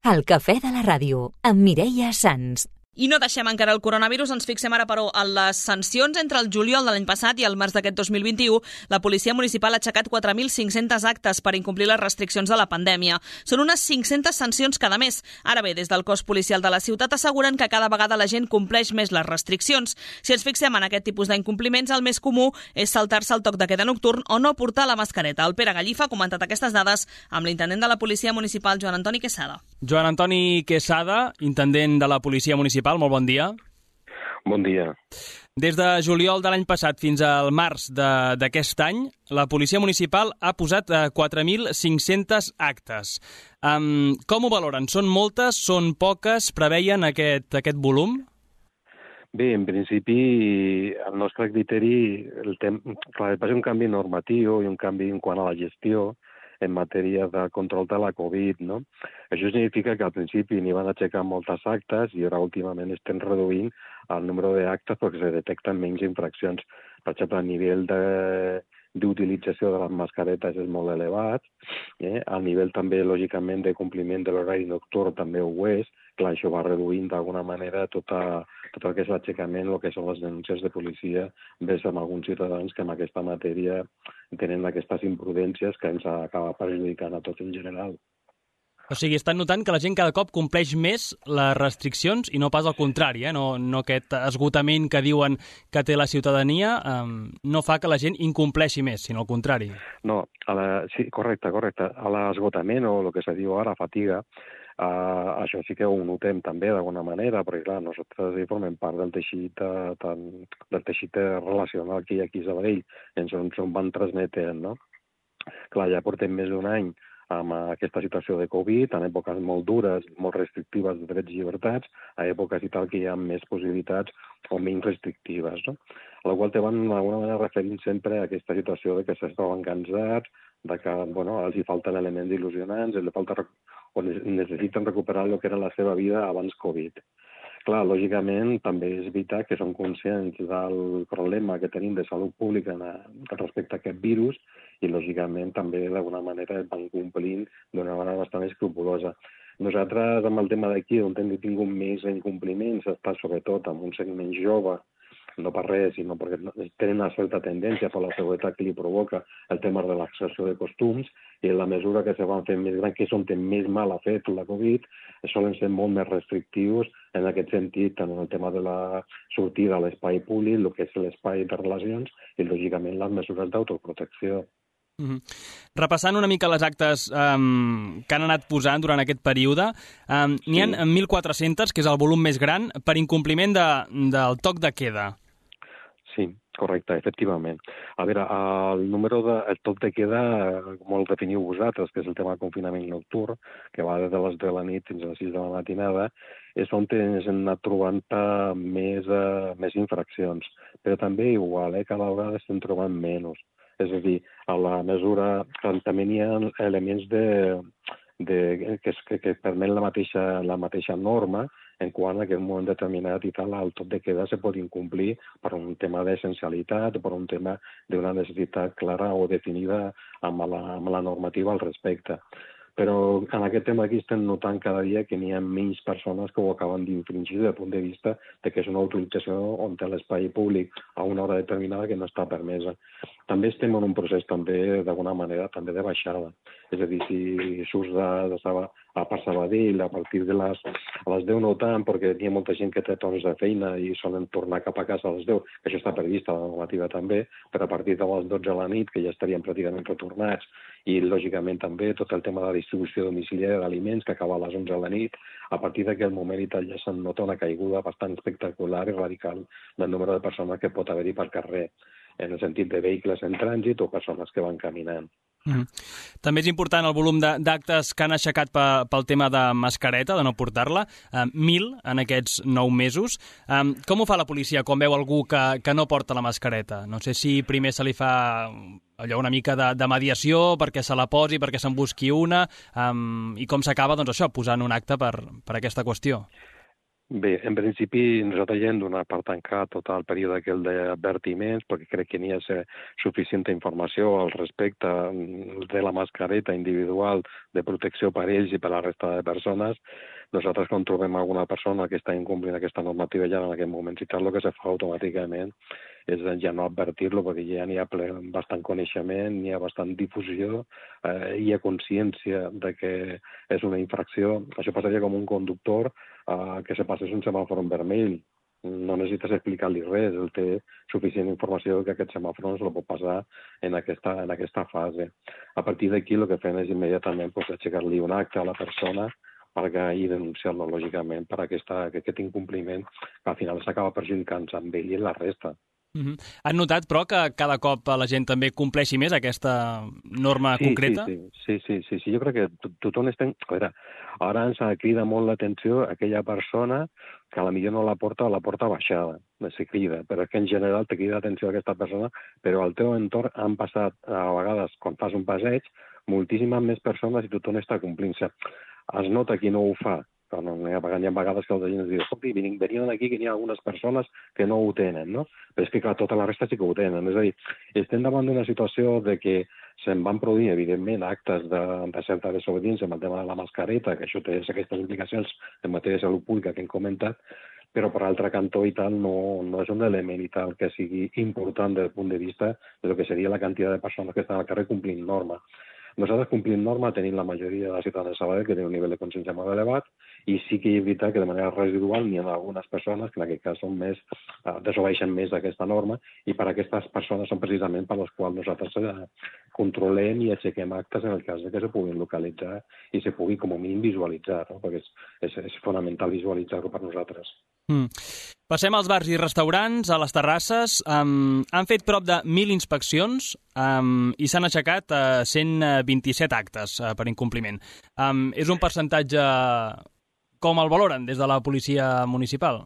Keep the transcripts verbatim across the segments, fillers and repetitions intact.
El cafè de la ràdio, amb Mireia Sans. I no deixem encara el coronavirus, ens fixem ara, però, en les sancions. Entre el juliol de l'any passat i el març d'aquest dos mil vint-i-u, la policia municipal ha aixecat quatre mil cinc-centes actes per incomplir les restriccions de la pandèmia. Són unes cinc-centes sancions cada mes. Ara bé, des del cos policial de la ciutat asseguren que cada vegada la gent compleix més les restriccions. Si ens fixem en aquest tipus d'incompliments, el més comú és saltar-se el toc de queda nocturn o no portar la mascareta. El Pere Gallifa ha comentat aquestes dades amb l'intendent de la policia municipal, Joan Antoni Quesada. Joan Antoni Quesada, intendent de la policia municipal, molt bon dia. Bon dia. Des de juliol de l'any passat fins al març d'aquest any, la policia municipal ha posat quatre mil cinc-centes actes. Um, com ho valoren? Són moltes? Són poques? Preveien aquest, aquest volum? Bé, en principi, el nostre criteri, el tem... clar, va ser un canvi normatiu i un canvi en quant a la gestió en matèria de control de la Covid, no? Això significa que al principi n'hi van aixecar moltes actes i ara últimament estem reduint el número d'actes perquè se detecten menys infraccions. Per exemple, el nivell de d'utilització de les mascaretes és molt elevat, eh? El nivell també, lògicament, de compliment de l'horari nocturn també ho és. Clar, això va reduint d'alguna manera tota, tot el que és l'aixecament, el que són les denúncies de policia, ves amb alguns ciutadans que en aquesta matèria tenen aquestes imprudències que ens acaba perjudicant a tots en general. O sigui, estan notant que la gent cada cop compleix més les restriccions i no pas al contrari, eh? no, no aquest esgotament que diuen que té la ciutadania eh, no fa que la gent incompleixi més, sinó al contrari. No, a la, sí, correcte, correcte. A l'esgotament o el que se diu ara, fatiga, eh, això sí que ho notem també d'alguna manera, perquè clar, nosaltres hi formem part del teixit, eh, tan, del teixit relacional que hi ha aquí a Sabadell, ens on van transmetent, no? Clar, ja portem més d'un any amb aquesta situació de Covid, en èpoques molt dures, molt restrictives de drets i llibertats, a èpoques i tal que hi ha més possibilitats o menys restrictives, no? A la qual te van d'alguna manera referint sempre a aquesta situació de que s'estaven cansats, de que bueno, els hi falten elements il·lusionants, els falta o necessiten recuperar el que era la seva vida abans Covid. Clar, lògicament, també és veritat que som conscients del problema que tenim de salut pública respecte a aquest virus i, lògicament, també d'alguna manera van complint d'una manera bastant escrupulosa. Nosaltres, amb el tema d'aquí, on hem tingut més incompliments, està sobretot amb un segment jove, no per res, sinó perquè tenen una certa tendència per la seguretat que li provoca el tema de l'accessió de costums, i en la mesura que se van fent més grans, que és on té més mal ha fet la Covid, solen ser molt més restrictius en aquest sentit, tant en el tema de la sortida a l'espai públic, el que és l'espai de relacions, i lògicament les mesures d'autoprotecció. Mm-hmm. Repassant una mica les actes um, que han anat posant durant aquest període, um, n'hi ha sí. mil quatre-cents, que és el volum més gran, per incompliment de, del toc de queda. Sí, correcte, efectivament. A veure, el número de el toc de queda, com el definiu vosaltres, que és el tema del confinament nocturn, que va des de les de la nit fins a les sis de la matinada, és on ens hem anat trobant més, uh, més infraccions. Però també igual, eh, cada vegada estem trobant menys. És a dir, a la mesura que també hi ha elements de, de, que, que, que permet la mateixa, la mateixa norma en quant a aquest moment determinat i tal, el toc de queda se pot incomplir per un tema d'essencialitat o per un tema d'una necessitat clara o definida amb la, amb la normativa al respecte. Però en aquest tema aquí estem notant cada dia que n'hi ha menys persones que ho acaben d'infringir des del punt de vista de que és una utilització on té l'espai públic a una hora determinada que no està permesa. També estem en un procés també, d'alguna manera, també de baixada. És a dir, si surts de, de Saba, a per Sabadell a partir de les, a les deu no tant, perquè hi ha molta gent que té torns de feina i solen tornar cap a casa a les deu, que això està previst a la normativa també, però a partir de les dotze de la nit, que ja estarien pràcticament retornats, i lògicament també tot el tema de la distribució domiciliària d'aliments que acaba a les onze de la nit, a partir d'aquell moment i tal ja se'n nota una caiguda bastant espectacular i radical del número de persones que pot haver-hi per carrer, en el sentit de vehicles en trànsit o persones que van caminant. Mm. També és important el volum d'actes que han aixecat pel tema de mascareta, de no portar-la, eh, mil en aquests nou mesos. Eh, com ho fa la policia quan veu algú que, que no porta la mascareta? No sé si primer se li fa allò una mica de, de mediació perquè se la posi, perquè se'n busqui una, eh, i com s'acaba, doncs això, posant un acte per, per aquesta qüestió. Bé, en principi nosaltres ja hem donat per tancar tot el període aquell d'advertiments perquè crec que n'hi ha suficient informació al respecte de la mascareta individual de protecció per ells i per la resta de persones. Nosaltres, quan trobem alguna persona que està incomplint aquesta normativa ja en aquest moment, citar-lo, que se fa automàticament és ja no advertir-lo, perquè ja n'hi ha ple, bastant coneixement, n'hi ha bastant difusió, eh, hi ha consciència de que és una infracció. Això passaria com un conductor eh, que se passés un semàfor en vermell. No necessites explicar-li res, ell té suficient informació que aquest semàfor no se lo pot passar en aquesta, en aquesta fase. A partir d'aquí el que fem és immediatament pues, aixecar-li un acte a la persona perquè i denunciar-lo, lògicament, per aquesta, aquest incompliment que al final s'acaba perjudicant amb ell i la resta. Uh-huh. Han notat, però, que cada cop la gent també compleixi més aquesta norma sí, concreta? Sí, sí, sí, sí, sí. Jo crec que tothom està... A veure, ara ens crida molt l'atenció aquella persona que a la millor no la porta o la porta baixada, se crida, però és que en general te crida l'atenció aquesta persona, però al teu entorn han passat, a vegades, quan fas un passeig, moltíssimes més persones i tothom està complint-se. Es nota qui no ho fa, però no, hi ha vegades que els agents diuen escolti, venien aquí que hi ha algunes persones que no ho tenen, no? Però és que, clar, tota la resta sí que ho tenen. És a dir, estem davant d'una situació de que se'n van produir, evidentment, actes de, de certa desobediència amb el tema de la mascareta, que això té aquestes implicacions en matèria de salut pública que hem comentat, però per altre cantó i tal no, no és un element i tal que sigui important des del punt de vista de lo que seria la quantitat de persones que estan al carrer complint norma. Nosaltres complim norma, tenim la majoria de la ciutadania de Sabadell que té un nivell de consciència molt elevat i sí que és veritat que de manera residual n'hi ha algunes persones que en aquest cas són més, eh, desobeixen més aquesta norma i per aquestes persones són precisament per les quals nosaltres eh, controlem i aixequem actes en el cas de que se puguin localitzar i se pugui com a mínim visualitzar, no? Perquè és, és, és fonamental visualitzar-ho per nosaltres. Mm. Passem als bars i restaurants, a les terrasses. Um, han fet prop de mil inspeccions um, i s'han aixecat uh, cent vint-i-set actes uh, per incompliment. Um, és un percentatge... Com el valoren des de la policia municipal?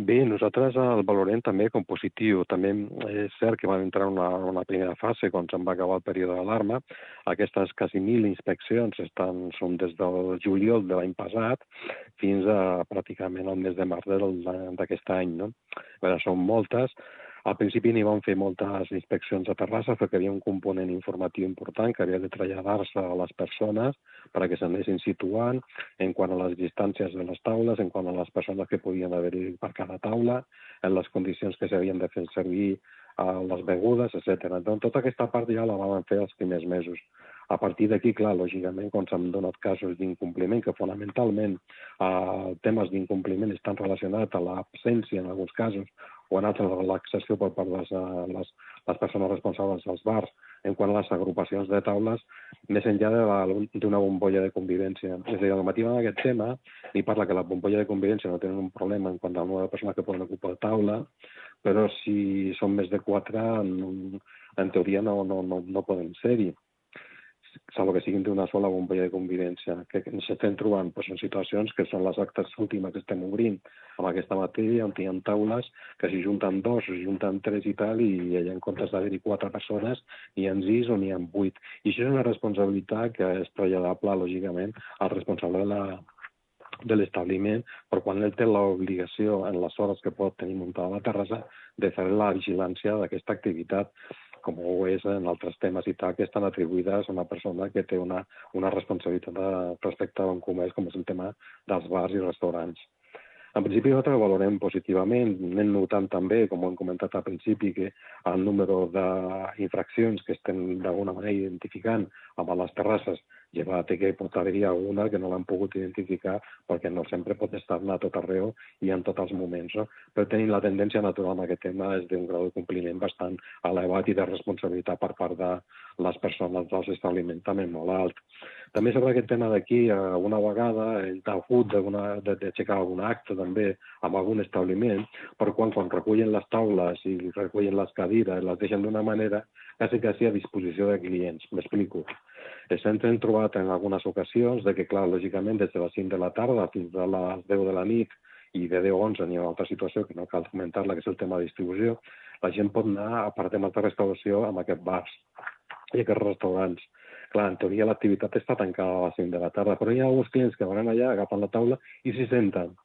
Bé, nosaltres el valorem també com positiu. També és cert que vam entrar en una, una primera fase quan se'n va acabar el període d'alarma. Aquestes quasi mil inspeccions estan, són des del juliol de l'any passat fins a pràcticament el mes de març d'aquest any. No? A veure, són moltes. Al principi n'hi van fer moltes inspeccions a Terrassa perquè hi havia un component informatiu important que havia de traslladar-se a les persones perquè s'anessin situant en quant a les distàncies de les taules, en quant a les persones que podien haver-hi per cada taula, en les condicions que s'havien de fer servir a les begudes, etcètera. Doncs tota aquesta part ja la vam fer els primers mesos. A partir d'aquí, clar, lògicament, quan s'han donat casos d'incompliment, que fonamentalment eh, temes d'incompliment estan relacionats a l'absència, en alguns casos, o en altres, la relaxació per part de les, les, les persones responsables dels bars, en quant a les agrupacions de taules, més enllà d'una bombolla de convivència. És a dir, el matí en aquest tema ni parla que la bombolla de convivència no tenen un problema en quant al nombre de persones que poden ocupar taula, però si són més de quatre, en, en teoria no, no, no, no poden ser-hi, salvo que siguin d'una sola bombolla de convivència. Que ens estem trobant doncs, en situacions que són les actes últimes que estem obrint amb aquesta matèria, on hi ha taules que s'hi junten dos, s'hi junten tres i tal, i allà en comptes d'haver-hi quatre persones, n'hi ha sis o n'hi ha vuit. I això és una responsabilitat que és traslladable, lògicament, al responsable de la de l'establiment, però quan ell té l'obligació en les hores que pot tenir muntada la terrassa de fer la vigilància d'aquesta activitat, com ho és en altres temes i tal, que estan atribuïdes a una persona que té una, una responsabilitat de, respecte a un comerç, com és el tema dels bars i restaurants. En principi nosaltres ho valorem positivament, anem notant també, com ho hem comentat al principi, que el número d'infraccions que estem d'alguna manera identificant amb les terrasses, llevat que pot haver-hi alguna que no l'han pogut identificar perquè no sempre pot estar-ne a tot arreu i en tots els moments. No? Però tenim la tendència natural en aquest tema és d'un grau de compliment bastant elevat i de responsabilitat per part de les persones dels establiments també molt alt. També sobre aquest tema d'aquí, una vegada hem hagut d'aixecar algun acte també amb algun establiment, però quan, quan recullen les taules i recullen les cadires, les deixen d'una manera quasi quasi a disposició de clients. M'explico. Ens hem trobat en algunes ocasions de que, clar, lògicament, des de les cinc de la tarda fins a les deu de la nit i de deu a onze n'hi ha una altra situació que no cal comentar-la, que és el tema de distribució, la gent pot anar a part temes de restauració amb aquests bars i aquests restaurants. Clar, en teoria l'activitat està tancada a les cinc de la tarda, però hi ha alguns clients que van allà, agafen la taula i s'hi senten.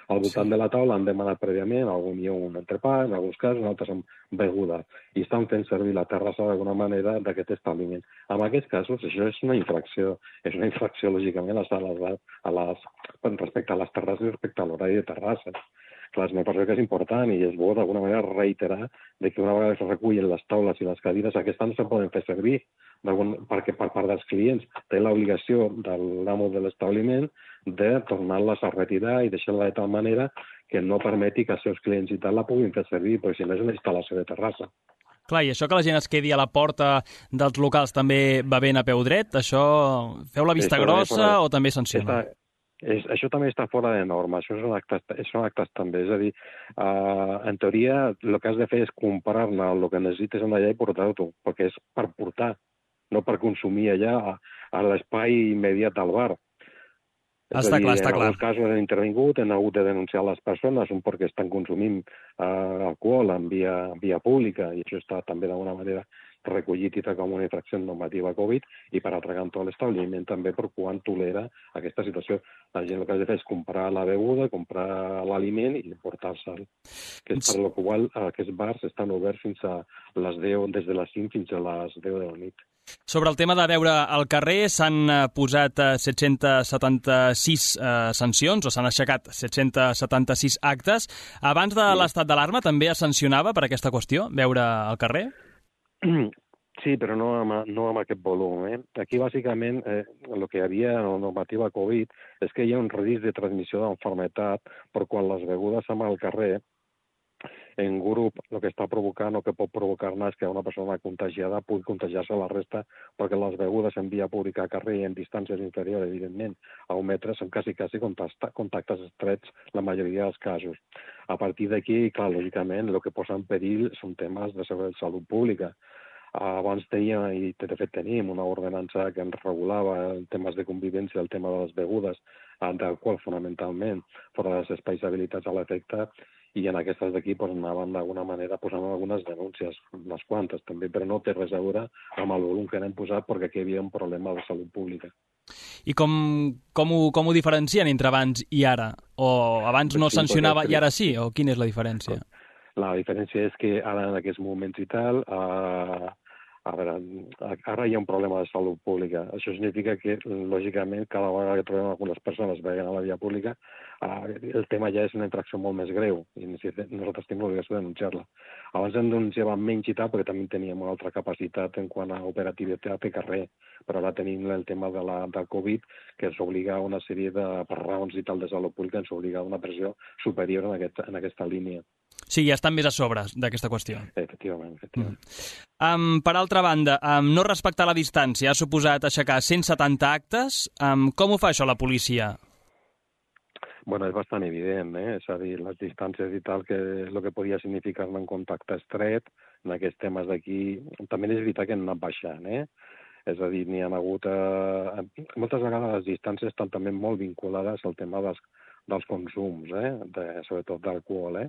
Al voltant Sí. de la taula han demanat prèviament, algun dia un entrepà, en alguns casos, en altres amb beguda, i estan fent servir la terrassa d'alguna manera d'aquest establiment. En aquests casos, això és una infracció. És una infracció, lògicament, a les, a les, respecte a les terrasses i respecte a l'horari de terrasses. Clar, me penso que és important i és bo d'alguna manera reiterar de que una vegada que es recullen les taules i les cadires, aquestes no se poden fer servir perquè per part dels clients té l'obligació de l'amo de l'establiment de tornar-les a retirar i deixar-la de tal manera que no permeti que els seus clients i tal la puguin fer servir, perquè si no és una instal·lació de terrassa. Clar, i això que la gent es quedi a la porta dels locals també va ben a peu dret? Això feu la vista Això grossa o també sanciona? Està, és, això també està fora de norma, això són actes, són actes també. És a dir, uh, en teoria el que has de fer és comprar-ne el que necessites allà i portar-ho, perquè és per portar, no per consumir allà a, a l'espai immediat del bar. Està clar, està clar. En alguns casos han intervingut, han hagut de denunciar les persones, un perquè estan consumint uh, alcohol en via, via pública, i això està també d'alguna manera recollit i com una infracció normativa Covid, i per altre cantó l'establiment també per quan tolera aquesta situació. La gent el que ha de fer és comprar la beguda, comprar l'aliment i portar-se'l. Que és per la qual aquests bars estan oberts fins a les deu, des de les cinc fins a les deu de la nit. Sobre el tema de beure al carrer, s'han posat set-cents setanta-sis eh, sancions, o s'han aixecat set-cents setanta-sis actes. Abans de Sí. l'estat d'alarma també es sancionava per aquesta qüestió, beure al carrer? Sí, però no amb, no amb aquest volum. Eh? Aquí, bàsicament, eh, el que hi havia en la normativa Covid és que hi ha un risc de transmissió d'enfermetat per quan les begudes amb al carrer en grup el que està provocant o que pot provocar-ne és que una persona contagiada pugui contagiar-se a la resta, perquè les begudes en via pública a carrer i en distàncies inferiors, evidentment, a un metre, són quasi, quasi contactes estrets la majoria dels casos. A partir d'aquí, clar, lògicament, el que posa en perill són temes de salut pública. Abans teníem, i de fet tenim, una ordenança que ens regulava els temes de convivència, el tema de les begudes, d'alcohol fonamentalment, fora dels espais habilitats a l'efecte, i en aquestes d'aquí pues, anaven d'alguna manera posant algunes denúncies, unes quantes també, però no té res a veure amb el volum que n'hem posat perquè aquí hi havia un problema de salut pública. I com, com, ho, com ho diferencien entre abans i ara? O abans no Sí, sancionava perquè- i ara sí? O quina és la diferència? La diferència és que ara en aquests moments i tal, eh, a veure, ara hi ha un problema de salut pública. Això significa que, lògicament, cada vegada que trobem algunes persones veient a la via pública, eh, el tema ja és una infracció molt més greu i nosaltres tenim l'obligació de denunciar-la. Abans en denunciàvem menys i tal, perquè també teníem una altra capacitat en quant a operativitat de carrer, però ara tenim el tema de la, del Covid, que ens obliga a una sèrie de, per raons i tal de salut pública, ens obliga a una pressió superior en, aquest, en aquesta línia. Sí, ja estan més a sobre d'aquesta qüestió. Efectivament, efectivament. Mm. Um, per altra banda, um, no respectar la distància ha suposat aixecar cent setanta actes. Um, com ho fa això la policia? Bueno, és bastant evident, eh? És a dir, les distàncies i tal, que és el que podia significar un contacte estret en aquests temes d'aquí. També és veritat que han anat baixant, eh? És a dir, n'hi ha hagut... Eh, moltes vegades les distàncies estan també molt vinculades al tema dels, dels consums, eh? De, sobretot d'alcohol, eh?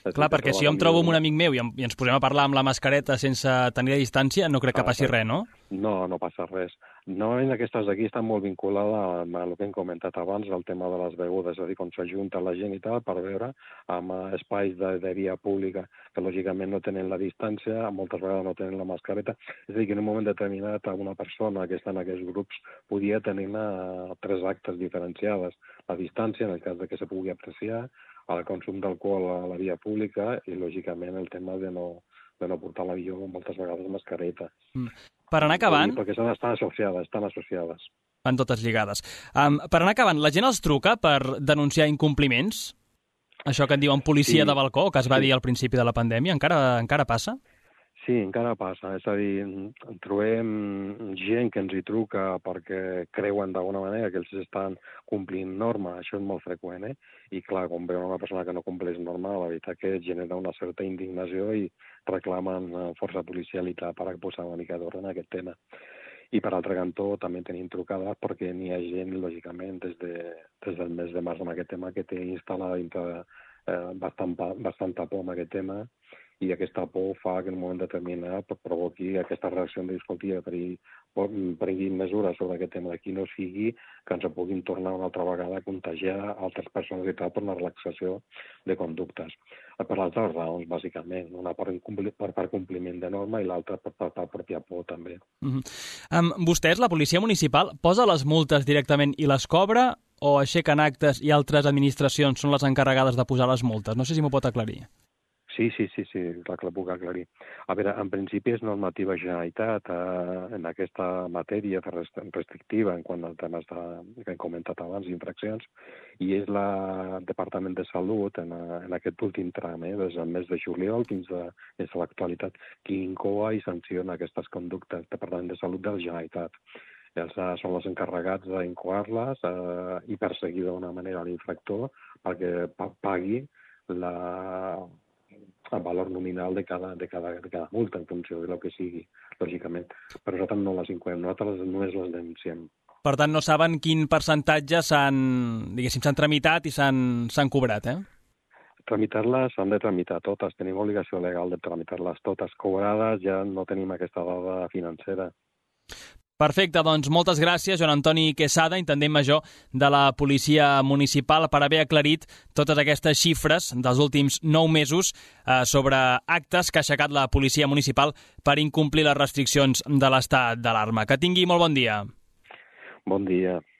És Clar, perquè si jo em trobo amb un amic meu i, em, i ens posem a parlar amb la mascareta sense tenir la distància, no crec que passi res, no? No, no passa res. No, en aquestes d'aquí estan molt vinculades amb el que hem comentat abans, el tema de les begudes, és a dir, quan s'ajunta la gent i tal per veure amb espais de, de via pública que lògicament no tenen la distància, moltes vegades no tenen la mascareta, és a dir, que en un moment determinat una persona que està en aquests grups podia tenir tres actes diferenciades. La distància, en el cas de que se pugui apreciar, el consum d'alcohol a la via pública i, lògicament, el tema de no, de no portar a l'avió moltes vegades mascareta. Mm. Per anar acabant... Perquè estan, estan associades, estan associades. Van totes lligades. Um, per anar acabant, la gent els truca per denunciar incompliments? Això que en diuen policia Sí. de balcó, que es va Sí. dir al principi de la pandèmia, encara, encara passa? Sí, encara passa. És a dir, en trobem gent que ens hi truca perquè creuen d'alguna manera que els estan complint norma. Això és molt freqüent, eh? I clar, quan veuen una persona que no compleix norma, la veritat que genera una certa indignació i reclamen força policialitat per posar una mica d'ordre en aquest tema. I per altre cantó també tenim trucades perquè n'hi ha gent, lògicament, des, de, des del mes de març en aquest tema que té instal·lada dintre eh, bastant, bastanta por amb aquest tema, i aquesta por fa que en un moment determinat provoqui aquesta reacció de dir, escolti, per, prenguin mesures sobre aquest tema, que no sigui que ens puguin tornar una altra vegada a contagiar altres persones i tal per una relaxació de conductes. Per altres raons, bàsicament. Una per, per, per compliment de norma i l'altra per, per, per pròpia por, també. Mm-hmm. Um, vostès, la policia municipal, posa les multes directament i les cobra o aixequen actes i altres administracions són les encarregades de posar les multes? No sé si m'ho pot aclarir. Sí, sí, sí, sí, clar que la puc aclarir. A veure, en principi és normativa Generalitat eh, en aquesta matèria restrictiva en quant al temes de, que hem comentat abans, infraccions, i és el Departament de Salut en, en aquest últim tram, eh, des del mes de juliol fins a, fins a l'actualitat, qui incoa i sanciona aquestes conductes, Departament de Salut de la Generalitat. Ells eh, són els encarregats d'incoar-les eh, i perseguir d'una manera l'infractor perquè pagui la... el valor nominal de cada, de, cada, de cada multa en funció del que sigui, lògicament. Però nosaltres no les incoem, nosaltres només les denunciem. Per tant, no saben quin percentatge s'han, diguéssim, s'han tramitat i s'han cobrat, eh? Tramitar-les s'han de tramitar totes. Tenim obligació legal de tramitar-les totes. Cobrades ja no tenim aquesta dada financera. Perfecte, doncs moltes gràcies, Joan Antoni Quesada, intendent major de la Policia Municipal, per haver aclarit totes aquestes xifres dels últims nou mesos eh, sobre actes que ha aixecat la Policia Municipal per incomplir les restriccions de l'estat d'alarma. Que tingui molt bon dia. Bon dia.